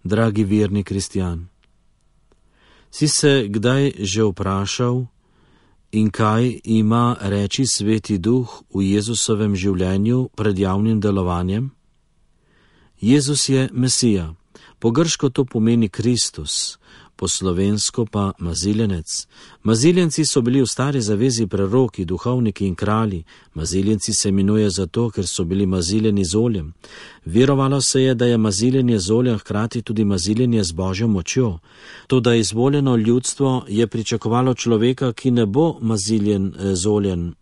Dragi verni kristjan, si se kdaj že vprašal, in kaj ima reči Sveti Duh v Jezusovem življenju pred javnim delovanjem? Jezus je Mesija, po grško to pomeni Kristus, po slovensko pa maziljenec. Maziljenci so bili v stari zavezi preroki, duhovniki in kralji. Maziljenci se imenuje zato, ker so bili maziljeni z oljem. Verovalo se je, da je maziljenje z oljem hkrati tudi maziljenje z Božjo močjo. Toda izvoljeno ljudstvo je pričakovalo človeka, ki ne bo maziljen z oljem,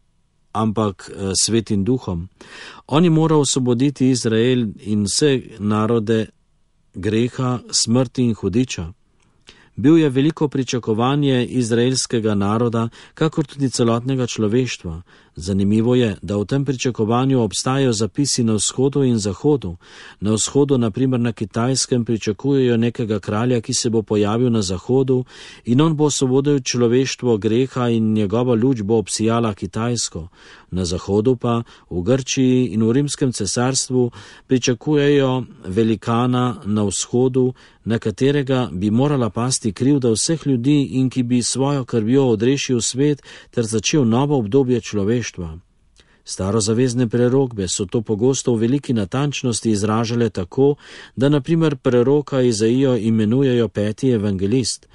ampak Svetim Duhom. On je moral osvoboditi Izrael in vse narode greha, smrti in hudiča. Bil je veliko pričakovanje izraelskega naroda, kakor tudi celotnega človeštva. Zanimivo je, da v tem pričakovanju obstajajo zapisi na vzhodu in zahodu. Na vzhodu, naprimer na Kitajskem, pričakujejo nekega kralja, ki se bo pojavil na zahodu in on bo osvobodil človeštvo greha in njegova luč bo obsijala Kitajsko. Na zahodu pa, v Grčiji in v Rimskem cesarstvu, pričakujejo velikana na vzhodu, na katerega bi morala pasti krivda vseh ljudi in ki bi svojo krvjo odrešil svet ter začel novo obdobje človeštva. Starozavezne prerokbe so to pogosto v veliki natančnosti izražale tako, da naprimer preroka Izaijo imenujejo 5. evangelist.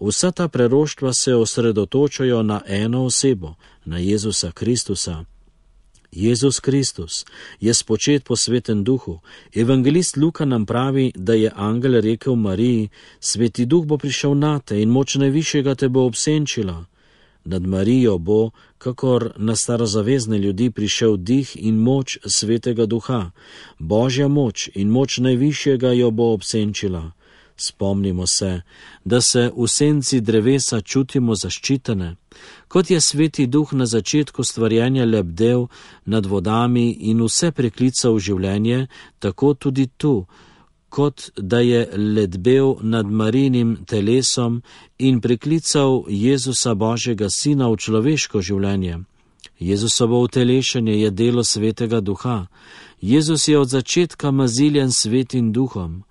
Vsa ta preroštva se osredotočajo na eno osebo, na Jezusa Kristusa. Jezus Kristus je spočet po Svetem Duhu. Evangelist Luka nam pravi, da je angel rekel Mariji: Sveti Duh bo prišel nate in moč najvišjega te bo obsenčila. Nad Marijo bo, kakor na starozavezne ljudi, prišel dih in moč Svetega Duha. Božja moč in moč najvišjega jo bo obsenčila. Spomnimo se, da se v senci drevesa čutimo zaščitene. Kot je Sveti Duh na začetku stvarjenja lebdel nad vodami in vse preklical v življenje, tako tudi tu, kot da je ledbel nad Marijinim telesom in preklical Jezusa Božjega Sina v človeško življenje. Jezusovo utelešenje je delo Svetega Duha. Jezus je od začetka maziljen Svetim Duhom.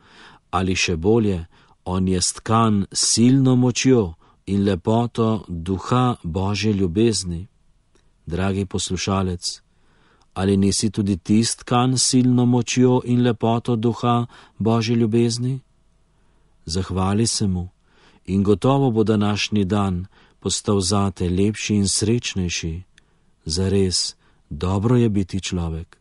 Ali še bolje, on je stkan silno močjo in lepoto Duha Božje ljubezni. Dragi poslušalec, ali nisi tudi ti stkan silno močjo in lepoto Duha Božje ljubezni? Zahvali se mu in gotovo bo današnji dan postal zate lepši in srečnejši. Zares, dobro je biti človek.